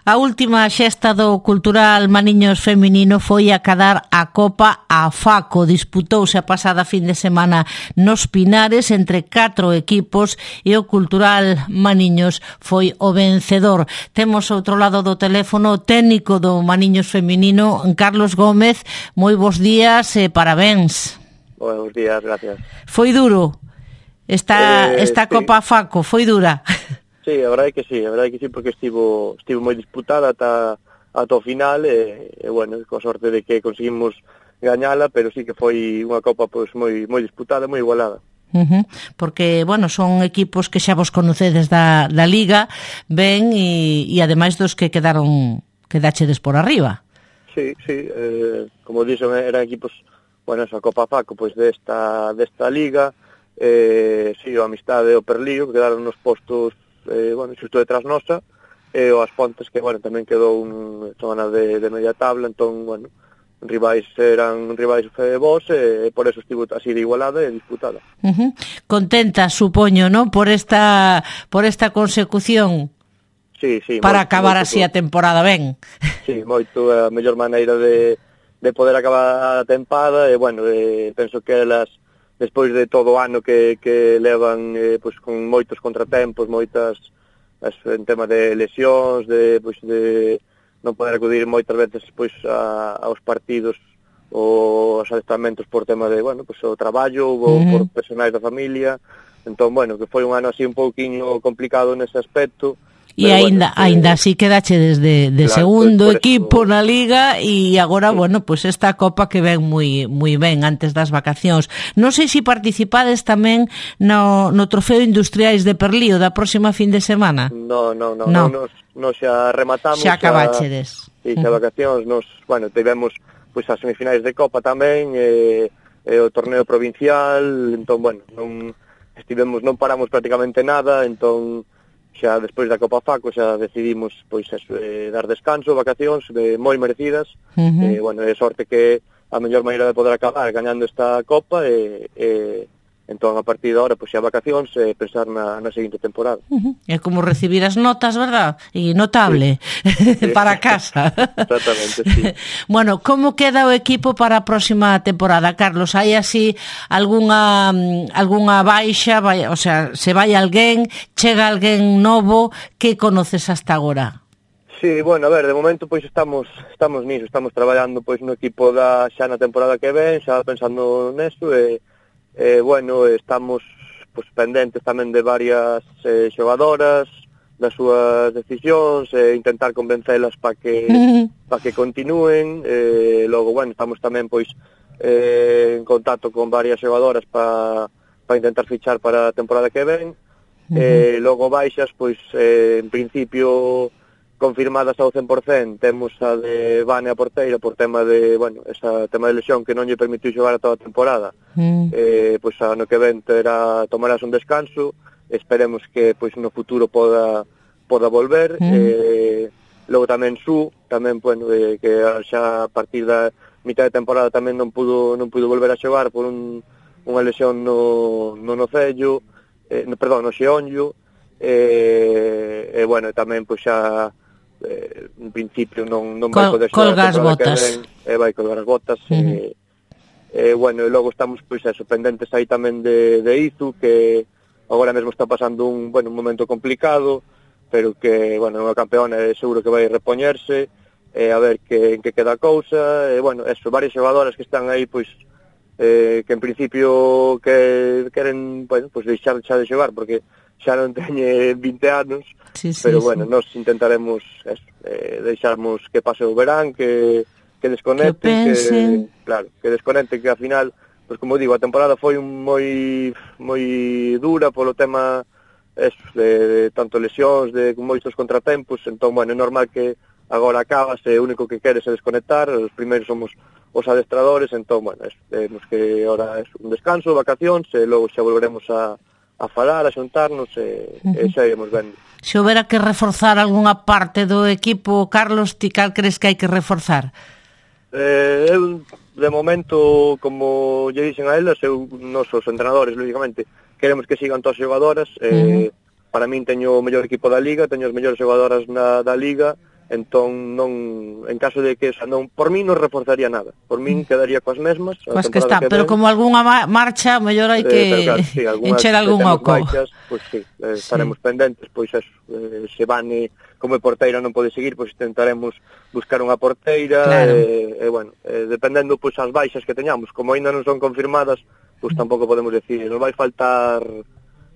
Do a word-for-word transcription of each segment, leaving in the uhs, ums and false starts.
A última xesta do Cultural Maniños Feminino foi acadar a Copa a Faco. Disputouse a pasada fin de semana nos Pinares entre catro equipos e o Cultural Maniños foi o vencedor. Temos outro lado do teléfono o técnico do Maniños Feminino, Carlos Gómez. Moi bons días e parabéns. Buenos días, gracias. Foi duro esta, eh, esta sí. Copa a Faco, foi dura. Sí, a verdade é que sí, a verdade é que sí, porque estivo estivo moi disputada ata, ata o final e, e bueno, coa sorte de que conseguimos gañala, pero sí que foi unha copa pois moi moi disputada, moi igualada. Uh-huh. Porque, bueno, son equipos que xa vos conocedes da, da Liga, ben, e, e ademais dos que quedaron, quedachedes por arriba. Sí, sí, eh, como dixen, eran equipos, bueno, esa Copa Faco, pois desta, desta Liga, eh, sí, o Amistade e o Perlío, que quedaron nos postos Eh, bueno, xusto detrás nosa, e o As Pontes, que, bueno, tamén quedou un zona de, de media tabla, entón, bueno, rivais eran rivais eh, vos, e, e por eso estivo así de igualada e disputada. Uh-huh. Contenta, supoño, ¿no?, por esta por esta consecución. Sí, sí, para moito, acabar moito, así a temporada ben. Sí, moito, a mellor maneira de, de poder acabar a tempada, e, bueno, eh, penso que elas despois de todo o ano que, que levan eh, pois, con moitos contratempos, moitas as, en tema de lesións, de, pois, de non poder acudir moitas veces pois, a, aos partidos ou aos adestramentos por tema de, bueno, pois, o traballo ou uh-huh. por personais da familia. Entón, bueno, que foi un ano así un pouquiño complicado nese aspecto. E aínda, bueno, aínda eh, así quedache desde de claro, segundo pues equipo eso na Liga e agora, sí. bueno, pois pues esta Copa que ven moi moi ben antes das vacacións. Non sei se participades tamén no, no Trofeo Industriais de Perlío da próxima fin de semana. No, no, no, no. no nos, nos xa rematamos. Xa acabachedes. E xa vacacións, nos, bueno, tivemos pois as semifinais de Copa tamén, e, e o torneo provincial, entón, bueno, non estivemos, non paramos prácticamente nada, entón xa despois da Copa Faco xa decidimos pois eso, eh, dar descanso, vacacións eh, moi merecidas. Uh-huh. eh, bueno, é sorte que a mellor maneira de poder acabar gañando esta Copa e, e entón a partir de ahora pois xa vacacións e eh, pensar na, na seguinte temporada. Uh-huh. É como recibir as notas, verdad? E notable sí. para casa. Exactamente, sí. Bueno, como queda o equipo para a próxima temporada, Carlos? Hai así algunha algunha baixa, vai, o sea, se vai alguén, chega alguén novo, que conoces hasta agora? Sí, bueno, a ver, de momento pois estamos estamos niso, estamos traballando pois no equipo da xa na temporada que ven, xa pensando neso e Eh, bueno, estamos pues, pendentes tamén de varias eh, xogadoras, das súas decisións, e eh, intentar convencelas para que para que continúen. Eh, logo, bueno, estamos tamén pois eh, en contacto con varias xogadoras para para intentar fichar para a temporada que ven. Uh-huh. Eh, logo baixas, pois eh, en principio confirmadas ao cen por cen, temos a de Vane a porteira por tema de, bueno, esa tema de lesión que non lle permitiu xogar a toda a temporada. Mm. Eh, pois ano que ven terá, tomarás un descanso, esperemos que pois no futuro poda poda volver. Mm. Eh, logo tamén Su, tamén, bueno, eh, que xa a partir da mitad de temporada tamén non pudo non pudo volver a xogar por un, unha lesión no, no nocello, eh, no, perdón, no xeonllo. E, eh, eh, bueno, tamén pois xa Eh, en principio non, non vai poder xogar colga as botas e eh, vai colgar as botas. uh-huh. e, eh, bueno, e logo estamos pois eso, pendentes aí tamén de, de Izu, que agora mesmo está pasando un, bueno, un momento complicado, pero que, bueno, é unha campeona e seguro que vai repoñerse, e a ver que, en que queda a cousa. E, bueno, eso, varias xogadoras que están aí pois eh, que en principio que queren, bueno, pois deixar xa de xogar porque xa non teñe vinte anos, sí, sí, pero bueno, sí. Nos intentaremos eso, eh, deixarmos que pase o verán, que, que desconecten, que, que, claro, que desconecten, que ao final, pues como digo, a temporada foi un moi moi dura polo tema eso, de, de tanto lesións, de moitos contratempos, entón, bueno, é normal que agora acabas e o único que queres é desconectar, os primeiros somos os adestradores, entón, bueno, eso, temos que ahora é un descanso, vacacións, e logo xa volveremos a a falar, a xuntarnos e, uh-huh. e xa iremos vendo. Se houbera que reforzar algunha parte do equipo, Carlos, ti cal crees que hai que reforzar? Eh, eu, de momento, como lle dixen a elas, eu, nosos entrenadores, lógicamente, queremos que sigan todas as xogadoras. Uh-huh. eh, para min teño o mellor equipo da Liga, teño as mellores xogadoras na, da Liga, entón non, en caso de que, o sea, non, por min non reforzaría nada, por min quedaría coas mesmas, coas que está, que pero ven, como algunha marcha, mellor hai que eh, claro, sí, encher algún oco. Baixas, pois sí, eh, estaremos sí. pendentes, pois eso, eh, se Vane como porteira non pode seguir, pois intentaremos buscar unha porteira, claro. e, e bueno, eh, dependendo pois as baixas que teñamos, como aínda non son confirmadas, pois tampouco podemos decir, nos vai faltar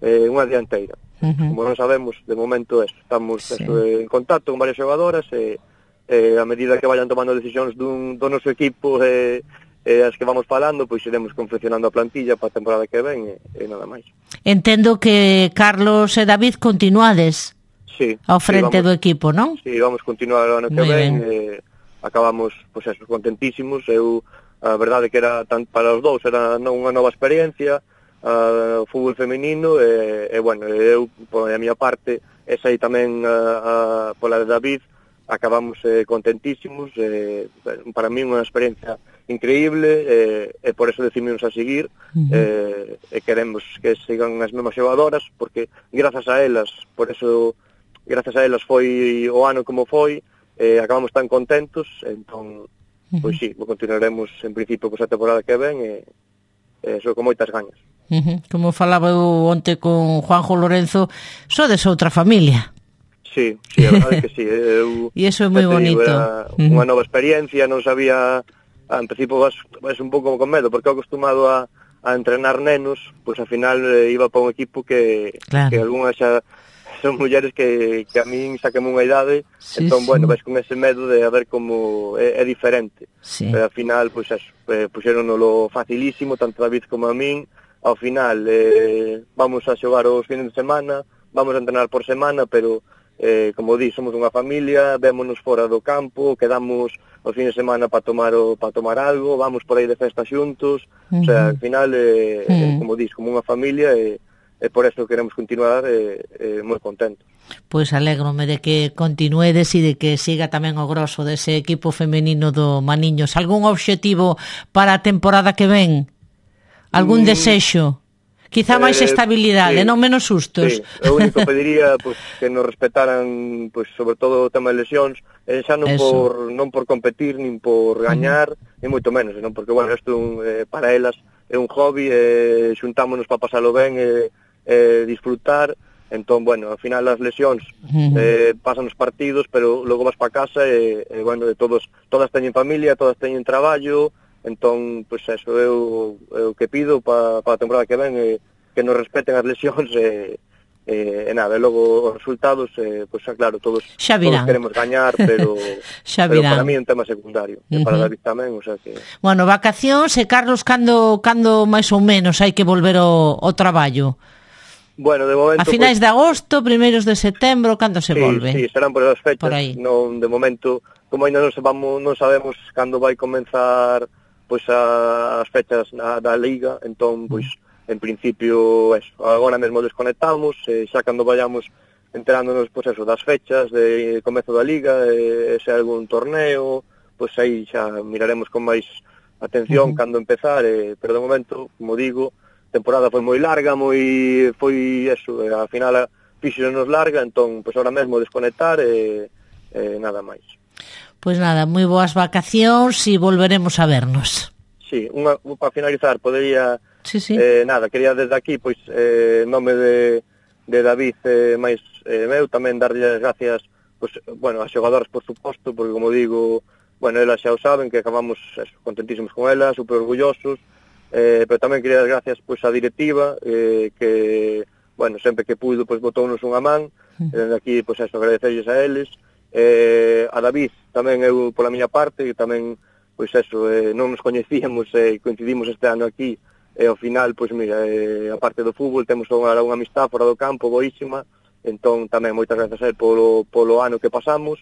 eh, unha dianteira. Uh -huh. Como non sabemos, de momento eso, estamos sí. eso, en contacto con varias xogadoras e, e a medida que vayan tomando decisións dun, do noso equipo e, e as que vamos falando, pois iremos confeccionando a plantilla para a temporada que ven e, e nada máis. Entendo que Carlos e David continuades sí, ao frente sí, vamos, do equipo, non? Sí, vamos continuar o ano que Muy ven e acabamos, pois eso, contentísimos. Eu, a verdade que era tan, para os dous era unha nova experiencia, Uh, o fútbol femenino e, e bueno, eu por a miña parte e sei tamén uh, uh, pola de David acabamos eh, contentísimos eh, para mí unha experiencia increíble eh, e por eso decidimos a seguir uh -huh. eh, e queremos que sigan as mesmas xogadoras porque grazas a elas por eso grazas a elas foi o ano como foi eh, acabamos tan contentos entón, uh -huh. pois sí, continuaremos en principio pois a temporada que ven e eh, so con moitas gañas. Uh -huh. Como falaba eu onte con Juanjo Lorenzo, sodes outra familia. Sí, sí, a verdade que sí. Eu, e iso é moi bonito. Era uh-huh. unha nova experiencia, non sabía, en principio vas, vas un pouco con medo, porque acostumado a, a entrenar nenos, pois ao final eh, iba para un equipo que, claro. que algunhas xa son mulleres que, que a min saqueme unha idade, sí, entón, sí. bueno, vais con ese medo de a ver como é, é diferente. Sí. Pero ao final, pois eso, eh, puxéronolo facilísimo, tanto David como a min. Ao final eh, vamos a xogar os fines de semana, vamos a entrenar por semana, pero eh, como di, somos unha familia, vémonos fora do campo, quedamos os fines de semana para tomar o, para tomar algo, vamos por aí de festa xuntos, uh -huh. o sea, al final, eh, uh -huh. como dis, como unha familia, e eh, por eso queremos continuar eh, eh, moi contentos. Pois alégrome de que continuedes e de que siga tamén o grosso dese equipo femenino do Maniños. Algún obxectivo para a temporada que ven? Algún mm, desexo? Quizá máis eh, estabilidade, sí, non menos sustos. Sí, o único pediría pues, que nos respetaran, pues, sobre todo o tema de lesións, eh, xa non por, non por competir, nin por gañar, uh-huh. ni moito menos, non? Porque, bueno, isto eh, para elas é un hobby, eh, xuntámonos para pasalo ben e eh, eh, disfrutar, entón, bueno, ao final as lesións uh-huh. eh, pasan os partidos, pero logo vas para casa e, eh, bueno, de todos, todas teñen familia, todas teñen traballo. Entón, pois pues eso, eu, eu que pido para pa a temporada que ven é que nos respeten as lesións e, e, e nada, e logo os resultados, eh, pois pues, claro, todos, todos queremos gañar, pero, pero para mí é un tema secundario, uh -huh. e para David tamén, o sea que... Bueno, vacacións, e Carlos, cando, cando máis ou menos hai que volver ao, ao traballo? Bueno, de momento... A finais pues, de agosto, primeiros de setembro, cando se sí, volve? Sí, serán por esas fechas, non, de momento, como ainda non sabemos, non sabemos cando vai comenzar pois as fechas na, da Liga, entón, pois, en principio, eso, agora mesmo desconectamos, e xa cando vayamos enterándonos, pois eso, das fechas de comezo da Liga, e se hai algún torneo, pois aí xa miraremos con máis atención uh -huh. cando empezar, e, pero de momento, como digo, a temporada foi moi larga, moi foi eso, e ao final fíxonos larga, entón, pois ahora mesmo desconectar e, e nada máis. Pois nada, moi boas vacacións e volveremos a vernos. Sí, unha, para finalizar, podería, sí, sí. Eh, nada, quería desde aquí, pois, eh, nome de, de David eh, máis eh, meu, tamén darlle as gracias, pois, bueno, as xogadoras, por suposto, porque, como digo, bueno, elas xa o saben, que acabamos eso, contentísimos con elas, super orgullosos, eh, pero tamén quería dar gracias, pois, á directiva, eh, que, bueno, sempre que puido, pois, botounos unha man, mm. eh, aquí, pois, eso, agradecerles a eles, eh, a David tamén eu pola miña parte, que tamén, pois eso, eh, non nos coñecíamos e eh, coincidimos este ano aquí, e ao final, pois mira, eh, a parte do fútbol temos unha, unha amistad fora do campo boísima, entón tamén moitas grazas a él polo, polo ano que pasamos,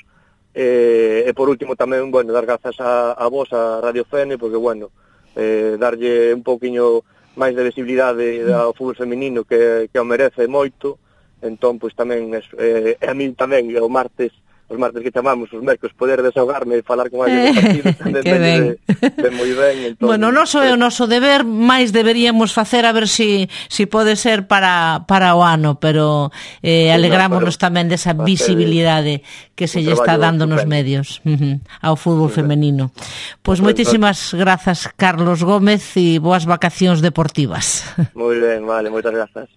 eh, e por último tamén, bueno, dar grazas a, a vos, a Radio Fene, porque, bueno, eh, darlle un pouquiño máis de visibilidade ao fútbol feminino que, que o merece moito, entón, pois tamén, eh, a mí tamén, o martes, os martes que chamamos os mércos poder desahogarme e falar con alguén do partido, tamén de, de moi ben. Entón, bueno, non so é o noso deber, máis deberíamos facer a ver si, si pode ser para, para o ano, pero eh, alegrámonos tamén desa visibilidade que se lle está dando nos medios uh-huh, ao fútbol femenino. Pois moitísimas grazas, Carlos Gómez, e boas vacacións deportivas. Moi ben, vale, moitas grazas.